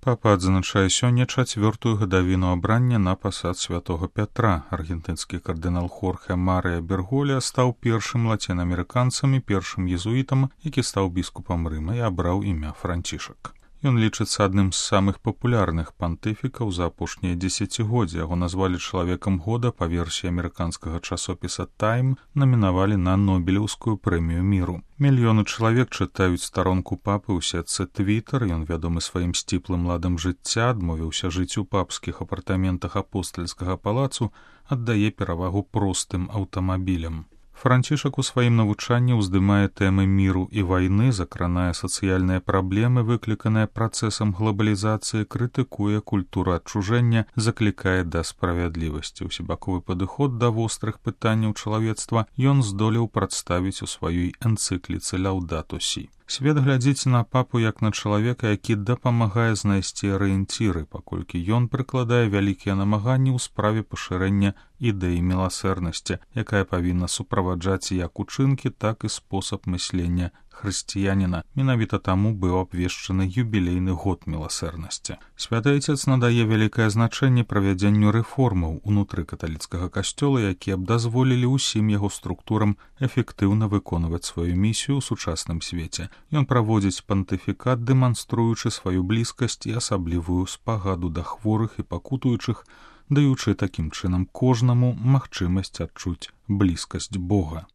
Папа адзначае сёння 4-ю гадавіну абрання на пасад святого Пятра. Аргентынскі кардынал Хорхе Марыя Берголя стаў першым лацінаамерыканцам і першым езуітам, які стаў біскупам Рыма і абраў імя Францішак. Ён лічыцца адным з самых папулярных пантыфікаў за апошнія дзесяцігоддзі. Яго назвалі чалавекам года па версіі амерыканскага часопіса «Тайм», намінавалі на Нобелеўскую прэмію міру. Мільёны чалавек чытаюць старонку папы ў сетцы Твітер. Ён вядомы сваім сціплым ладам жыцця, адмовіўся жыць у папскіх апартаментах апостальскага палацу, аддае перавагу простым аўтамабілям. Францішак у сваім навучанні ўздымае тэмы міру і вайны, закранае сацыяльныя праблемы, выкліканыя працэсам глобалізацыі, крытыкуе культуру адчужэння, заклікае да справядлівасці. Усебаковы падыход да вострых пытанняў чалавецтва ён здолеў прадставіць у сваёй энцыкліцы «Лаўдату сі». Свет глядзіць на папу як на чалавека, які дапамагае знайсці арыенціры, паколькі ён прыкладае вялікія намаганні ў справе пашырэння ідэі міласэрнасці, якая павінна суправаджаць як учынкі, так і спосаб мыслення хрысціяніна. Менавіта таму быў абвешчаны юбілейны год міласэрнасці. Святы Айцец надае вялікае значэнне правядзенню рэформаў унутры каталіцкага касцёла, якія б дазволілі ўсім яго структурам эфектыўна выконваць сваю місію ў сучасным свеце. Ён праводзіць пантыфікат, дэманструючы сваю блізкасць і асаблівую спагаду да хворых і пакутуючых, даючы такім чынам кожнаму магчымасць адчуць блізкасць Бога.